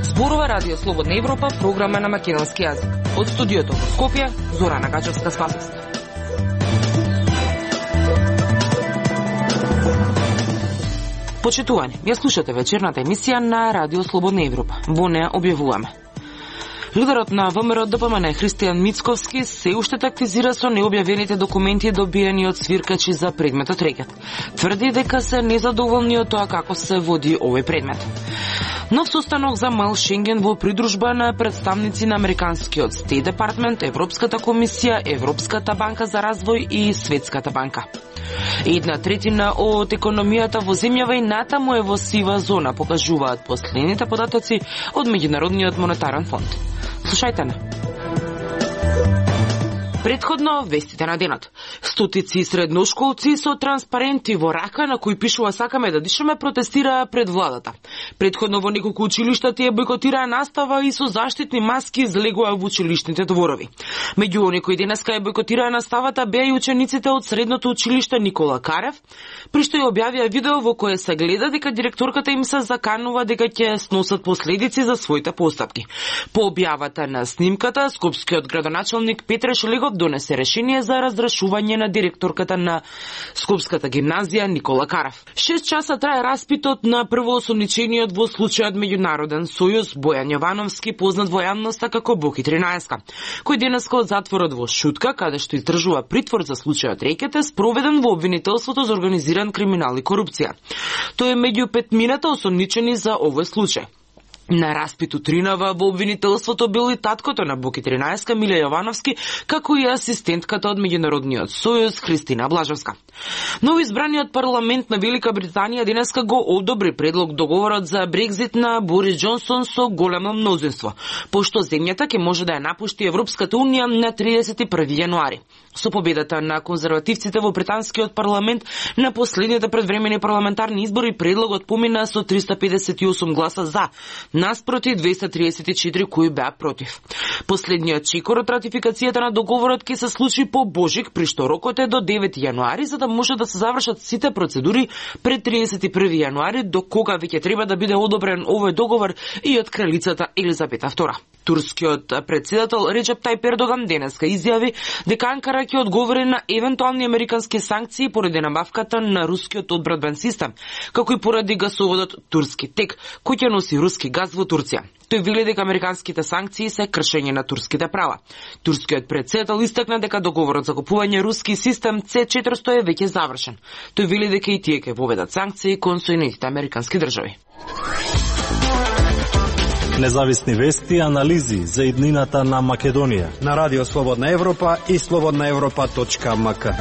Зборува Радио Слободна Европа, програма на македонски јазик. Од студиото во Скопје, Зорана Гачевска-Спасовска. Почитувани, ја слушате вечерната емисија на Радио Слободна Европа. Во неа објавуваме. Лидерот на ВМРО ДПМН Христијан Мицковски се уште тактизира со необјавените документи добиени од свиркачи за предметот рекет. Тврди дека се незадоволни од тоа како се води овој предмет. Нов состанок за мал Шенген во придружба на представници на Американскиот Стейт Департмент, Европската комисија, Европската банка за развој и Светската банка. 1/3 од економијата во земјава и натаму е во сива зона, покажуваат последните податоци од Меѓународниот монетарен фонд. Слушајте на. Предходно вестите на денот. Стотици средношколци со транспаренти во рака на кои пишува "Сакаме да дишаме" протестираа пред владата. Предходно во неколку училишта тие бойкотираа настава и со заштитни маски излегуваа во училишните дворови. Меѓу оние кои денеска ја бойкотираа наставата беа и учениците од средното училиште Никола Карев, при што ја објавија видео во кое се гледа дека директорката им се заканува дека ќе сносат последици за своите постапки. По објавата на снимката, скопскиот градоначалник Петре Шелегов донесе решение за разрешување на директорката на Скопската гимназија Никола Карев. 6 часа трае распитот на првоосомничениот во случајот Меѓународен сојуз Бојан Јовановски, познат во јавноста како Боки 13, кој денеска од затворот во Шутка, каде што издржува притвор за случајот рекет, е спроведен во обвинителството за организиран криминал и корупција. Тој е меѓу 5 осомничени за овој случај. На распит утринава во обвинителството бил и таткото на Боки 13 Миле Јовановски, како и асистентката од Меѓународниот сојуз Христина Блажевска. Новоизбраниот парламент на Велика Британија денеска го одобри предлог договорот за Брекзит на Борис Џонсон со големо мнозинство, пошто земјата ќе може да ја напушти Европската унија на 31 јануари. Со победата на конзервативците во британскиот парламент на последните предвремени парламентарни избори, предлогот помина со 358 гласа за, наспроти 234 кои беа против. Последниот чекор од ратификацијата на договорот ќе се случи по Божик, при што рокот е до 9 јануари, за да може да се завршат сите процедури пред 31 јануари, до кога веќе треба да биде одобрен овој договор и од кралицата Елизабета II. Турскиот председател Реджеп Тајип Ердоган денеска изјави дека Анкара ќе одговори на евентуални американски санкции поради набавката на рускиот одбранбен систем, како и поради гасоводот Турски тек, кој ќе носи руски газ во Турција. Тој вели дека американските санкции се кршење на турските права. Турскиот председател истакна дека договорот за купување руски систем C400 е веќе завршен. Тој вели дека и тие ќе воведат санкции кон Соединетите американски држави. Независни вести и анализи за иднината на Македонија на Радио Слободна Европа и slobodnaevropa.mk.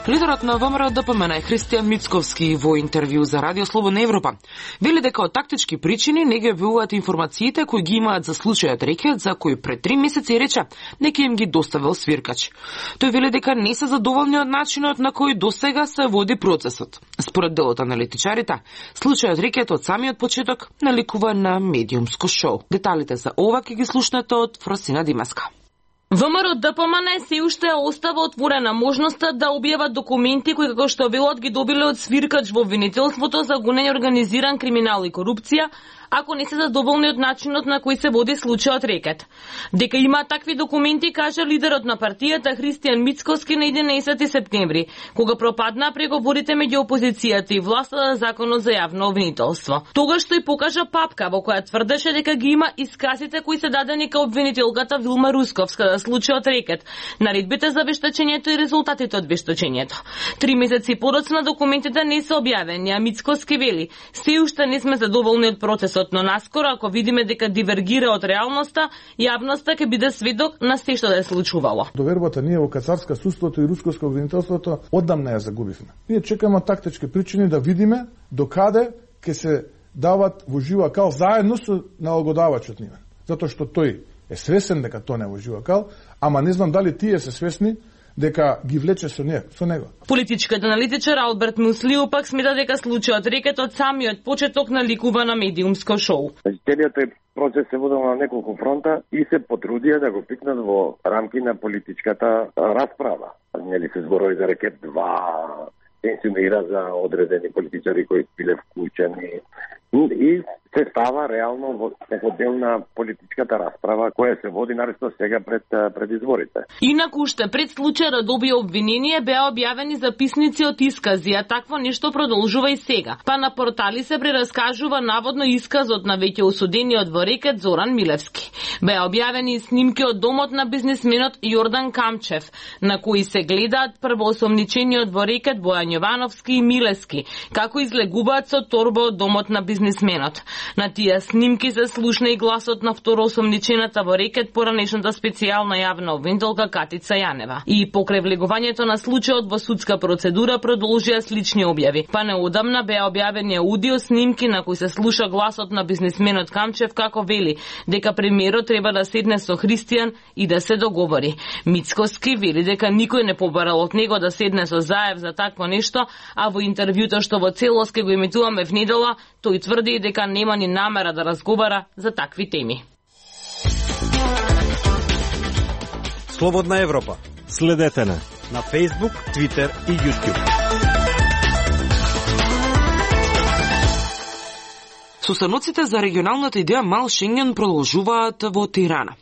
Лидерот на ВМРО ДПМН Христијан Мицковски во интервју за Радио Слободна Европа вели дека од тактички причини не ги објавуваат информациите кои ги имаат за случајот рекет, за кој пред 3 месеци рече нека им ги доставил свиркач. Тој вели дека не се задоволни од начинот на кој досега се води процесот. Според делот аналитичарите, случајот рекет од самиот почеток наликува на медиумско шоу. Деталите за ова ќе ги слушнете од Фросина Димаска. ВМРО ДПМН се уште остава отворена можноста да објават документи кои како што велат ги добиле од свиркач во обвинителството за гонење организиран криминал и корупција, ако не се задоволни од начинот на кој се води случајот рекет. Дека има такви документи, кажа лидерот на партијата Христијан Мицковски на 11 септември, кога пропаднаа преговорите меѓу опозицијата и власта за законот за јавно обвинителство. Тогаш тој покажа папка во која тврдеше дека ги има исказите кои се дадени кај обвинителката Вилма Русковска за случајот рекет, наредбите за вештачењето и резултатите од вештачењето. 3 месеци подоцна документите не се објавени, а Мицковски вели: се уште не сме задоволни од процесот, но наскоро ако видиме дека дивергира од реалноста, јавноста ќе биде сведок на се што да се случувало. Довербата ние во кацарска судството и рускоско обвинителството одамна ја загубивме. Ние чекаме тактички причини да видиме докаде ќе се дават во жива кал заедно со налагодавачот нивен. Затоа што тој е свесен дека тоа не во жива кал, ама не знам дали тие се свесни дека ги влече со него. Политичкиот аналитичар Алберт Муслио пак смета дека случајот рекет од самиот почеток наликува на медиумско шоу. Целиот тој процес се водел на неколку фронта и се потрудија да го пикнат во рамки на политичката расправа. Нели се зборови за рекет 2, се инсинуира за одредени политичари кои биле вклучени и се става реално во некој дел на политичката расправа која се води наресно сега пред изборите. Инаку уште пред случај да добие обвинение беа објавени записници од искази, а такво нешто продолжува и сега. Па на портали се прераскажува наводно исказот на веќе осудениот во рекет Зоран Милевски. Беа објавени и снимки од домот на бизнисменот Јордан Камчев, на кои се гледаат првоосомничениот во рекет Бојан Јовановски и Милевски, како излегуваат со торба од домот на бизнисменот. На тие снимки се слушна и гласот на второосомничената во рекет поранешната специјална јавна обвинителка Катица Јанева. И покрај влегувањето на случајот во судска процедура продолжија слични објави. Па неодамна беа објавени аудио снимки на кои се слуша гласот на бизнисменот Камчев како вели дека премиерот треба да седне со Христијан и да се договори. Мицкоски вели дека никој не побарал од него да седне со Заев за такво нешто, а во интервјуто што во целост ке го емитуваме в недела, тој тврди дека нема ни намера да разговара за такви теми. Слободна Европа. Следете на Facebook, Twitter и YouTube. Состаноците за регионалната идеја Мал Шенген продолжуваат во Тирана.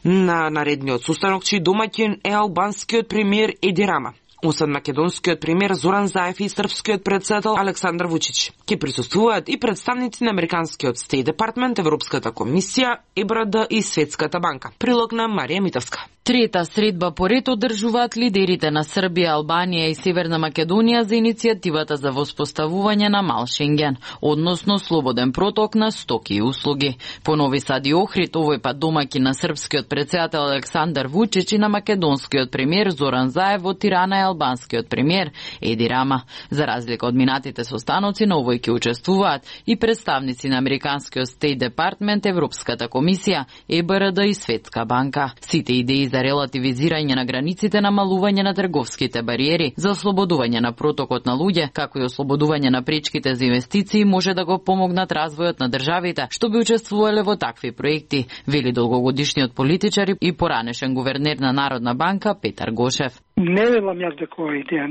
На наредниот состанок чиј домаќин е албанскиот премиер Еди Рама, освен македонскиот премиер Зоран Заев и српскиот председател Александар Вучич. Ке присуствуваат и представници на Американскиот Стейт Департмент, Европската комисија, ЕБРД и Светската банка. Прилог на Марија Митовска. Трета средба поред одржуваат лидерите на Србија, Албанија и Северна Македонија за иницијативата за воспоставување на Мал Шенген, односно слободен проток на стоки и услуги. По Нови Сад и Охрид, овој пат домаќин на српскиот председател Александар Вучич и на македонскиот премиер Зоран Заев, во Тирана е албанскиот премиер Еди Рама. За разлика од минатите состаноци, на овој ќе учествуваат и представници на Американскиот Стейт Департмент, Европската комисија, ЕБРД и Светска банка. Сите идеи за релативизирање на границите, намалување на трговските бариери, за ослободување на протокот на луѓе, како и ослободување на пречките за инвестиции може да го помогнат развојот на државите што би учествувале во такви проекти, вели долгогодишниот политичар и поранешен гувернер на Народна банка Петар Гошев. Не велам јас дека оваа идеја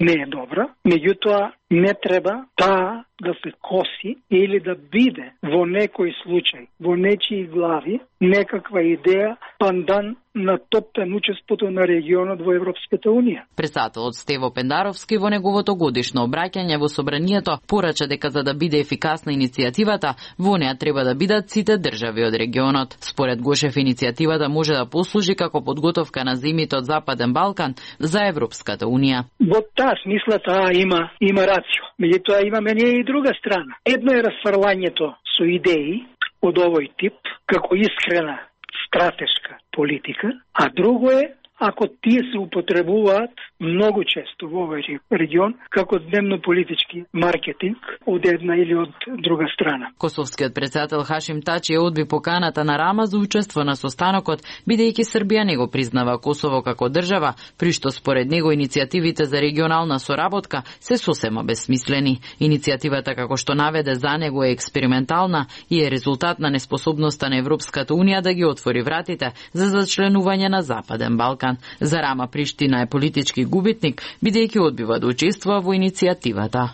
не е добра, меѓутоа не треба таа да се коси или да биде во некој случај, во нечии глави, некаква идеја пандан на топпенучеството на регионот во Европската Унија. Председателот Стево Пендаровски во неговото годишно обраќање во собранието порача дека за да биде ефикасна иницијативата, во неа треба да бидат сите држави од регионот. Според Гошев, иницијативата може да послужи како подготовка на земјите од Западен Балкан за Европската Унија. Во таа смисла таа има рацио. Меѓутоа имаме ние и друга страна. Едно е расфрлањето со идеи од овој тип како искрена стратешка политика, а друго е ако тие се употребуваат многу често во овој регион како дневно-политички маркетинг од една или од друга страна. Косовскиот председател Хашим Тачи одби поканата на Рама за учество на состанокот, бидејќи Србија не го признава Косово како држава, при што според него иницијативите за регионална соработка се сосема бесмислени. Иницијативата, како што наведе за него, е експериментална и е резултат на неспособноста на Европската Унија да ги отвори вратите за зачленување на Западен Балкан. За Рама Приштина е политички губитник, бидејќи одбива да учествува во иницијативата.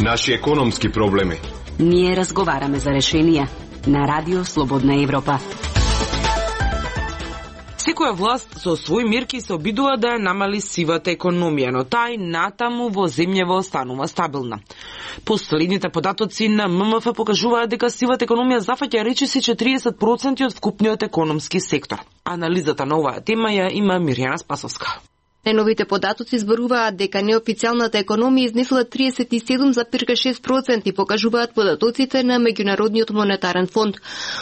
Наши економски проблеми. Ние разговараме за решенија на Радио Слободна Европа. Секоја власт со своји мерки се обидува да ја намали сивата економија, но таа и натаму во земјава останува стабилна. Последните податоци на ММФ покажуваат дека сивата економија зафаќа речиси 40% од вкупниот економски сектор. Анализата на оваа тема ја има Мирјана Спасовска. Најновите податоци зборуваат дека неофицијалната економија изнесла 37,6% и покажуваат податоците на Меѓународниот монетарен фонд.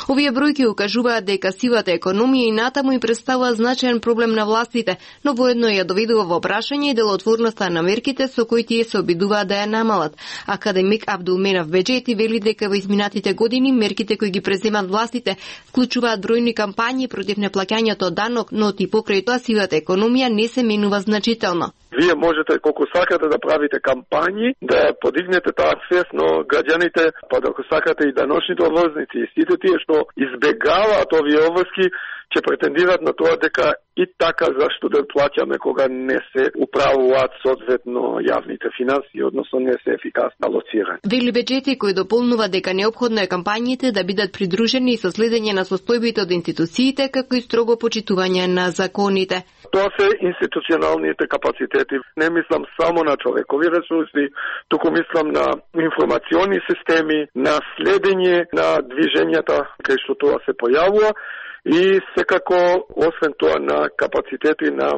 Овие бројки укажуваат дека сивата економија и натаму им представува значаен проблем на властите, но воедно ја доведува во прашање и делотворноста на мерките со кои тие се обидуваат да ја намалат. Академик Абдулменав Беџети вели дека во изминатите години мерките кои ги преземат властите вклучуваат бројни кампањи против неплаќањето данок, но и покрај тоа сивата економија не се менува зменува значително. Вие можете колку сакате да правите кампањи, да подигнете таа свест, но граѓаните, па ако сакате и даночните обврзници и сите тие што избегаваат овие обврски, ќе претендираат на тоа дека и така зашто да плаќаме кога не се управуваат соодветно јавните финансии, односно не се ефикасно алоцирани. Вели Беџети, кој дополнува дека неопходно е кампањите да бидат придружени со следење на состојбите од институциите, како и строго почитување на законите. Тоа се институционалните капацитети. Не мислам само на човекови ресурси, туку мислам на информациони системи, на следење на движењата кај што тоа се појавува и секако, освен тоа, на капацитети на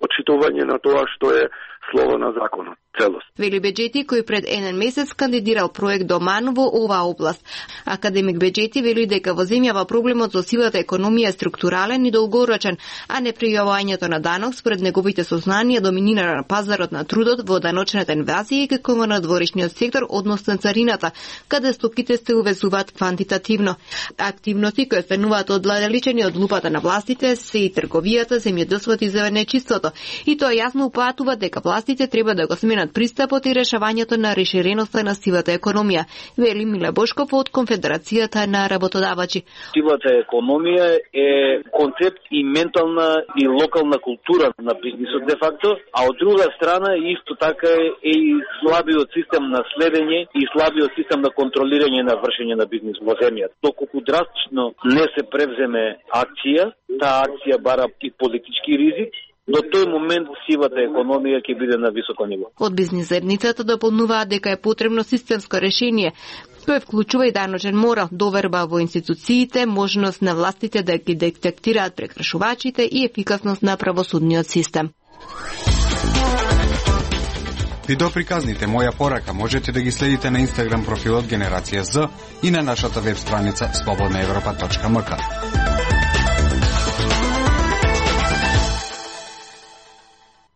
почитување на тоа што е слово на законот. Целост. Вели Беџети, кој пред еден месец кандидирал проект Доман во оваа област. Академик Беџети вели дека во земјава проблемот со сивата економија е структурален и долгорочен, а не пријавувањето на данок според неговите сознанија доминира на пазарот на трудот, во даночната инвазија и како во надворешниот сектор, односно царината, каде стоките се увезуваат квантитативно. Активности кои стануваат оддалечени од лупата на властите се и трговијата, земјоделството и зеленечиството. И тоа јасно упатува дека властите треба да го сменат пристапот и решавањето на реширеноста на сивата економија, вели Миле Бошков од Конфедерацијата на работодавачи. Сивата економија е концепт и ментална и локална култура на бизнисот де факто, а од друга страна исто така е и слабиот систем на следење и слабиот систем на контролирање на вршење на бизнис во земјата. Доколку драстично не се превземе акција, таа акција бара и политички ризик, до тој момент сивата економија ќе биде на високо ниво. Од бизнис заедницата дополнуваат дека е потребно системско решение, кој вклучува и даночен морал, доверба во институциите, можност на властите да ги детектираат прекршувачите и ефикасност на правосудниот систем. Видеоприказните Моја порака можете да ги следите на Инстаграм профилот Генерација З и на нашата веб страница slobodnaevropa.mk.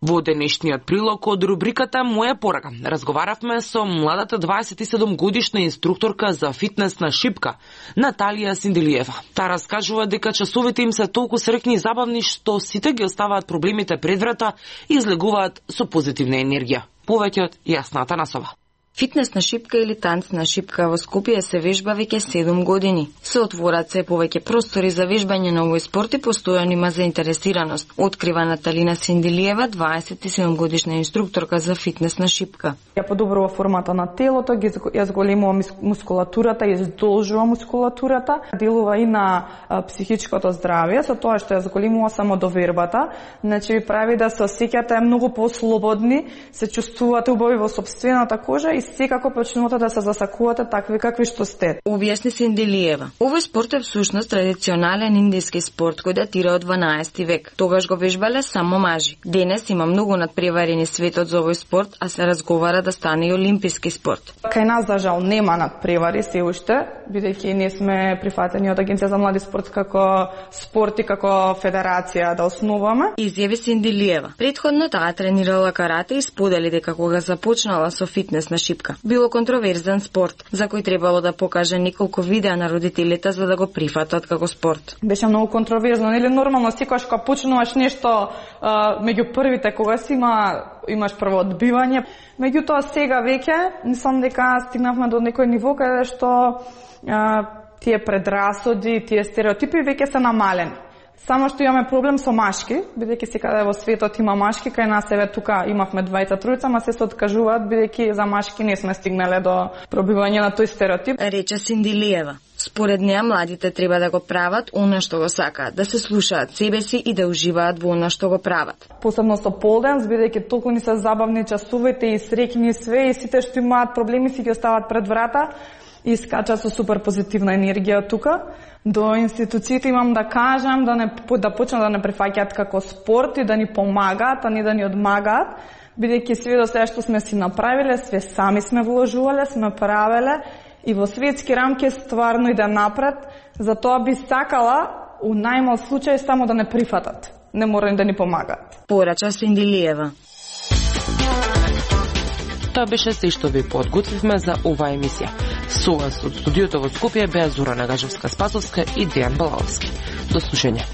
Во денешниот прилог од рубриката Моја порака разговаравме со младата 27 годишна инструкторка за фитнес на шипка Наталија Синделиева. Таа раскажува дека часовите им се толку среќни и забавни што сите ги оставаат проблемите пред врата и излегуваат со позитивна енергија. Повеќе од Јасната Насова. Фитнес на шипка или танц на шипка во Скопје се вежба веќе 7 години. Се отворат се повеќе простори за вежбање на овој спорт и постојано има заинтересираност, открива Наталина Синделиева, 27 годишна инструкторка за фитнес на шипка. Ја подобрува формата на телото, ја зголемува мускулатурата, ја издолжува мускулатурата, делува и на психичкото здравје, со тоа што ја зголемува самодовербата, значи ви прави да се осеќате многу послободни, се чувствувате убави во сопствената кожа и секако почнувате да се засакувате такви какви што сте. Објасни Синделиева. Овој спорт е всушност традиционален индиски спорт кој датира од 12 век. Тогаш го вежбале само мажи. Денес има многу надпреварени светот за овој спорт, а се разговара да стане и олимписки спорт. Кај нас за жал нема надпревари се уште, бидејќи не сме прифатени од Агенција за млади спорт како спорт и како федерација да основаме. Изјави Синделиева. Претходно таа тренирала карате и сподели дека кога започнала со фитнес на шипка, било контроверзен спорт, за кој требало да покаже неколку видеа на родителите за да го прифатат како спорт. Беше многу контроверзно, нели нормално секогаш кога почнуваш нешто меѓу првите кога си имаш прво одбивање. Меѓутоа сега веќе мислам дека стигнавме до некој ниво каде што тие предрасуди, тие стереотипи веќе се намалени. Само што имаме проблем со машки, бидејќи секаде во светот има машки, кај нас еве тука имавме двајца тројца, ама се откажуваат бидејќи за машки не сме стигнале до пробивање на тој стереотип. Рече Синделиева. Според неа младите треба да го прават она што го сакаат, да се слушаат себе си и да уживаат во она што го прават. Посебно со полденс, бидејќи толку ни се забавни часовите и среќни све и сите што имаат проблеми си ги остават пред врата и скачат со супер позитивна енергија тука. До институциите имам да кажам да почнат да не прифаќаат како спорт и да ни помагаат, а не да ни одмагаат, бидејќи све до сега што сме си направиле, све сами сме вложувале, сме правеле и во светски рамки стварно иде напред, затоа би сакала у најмал случај само да не прифатат, не мора да ни помагаат. Порача Синделиева. Тоа беше се што ви подготвивме за оваа емисија. Со вас од студиото во Скопје беа Зора Нагажевска-Спасовска и Дејан Балаловски. До слушање.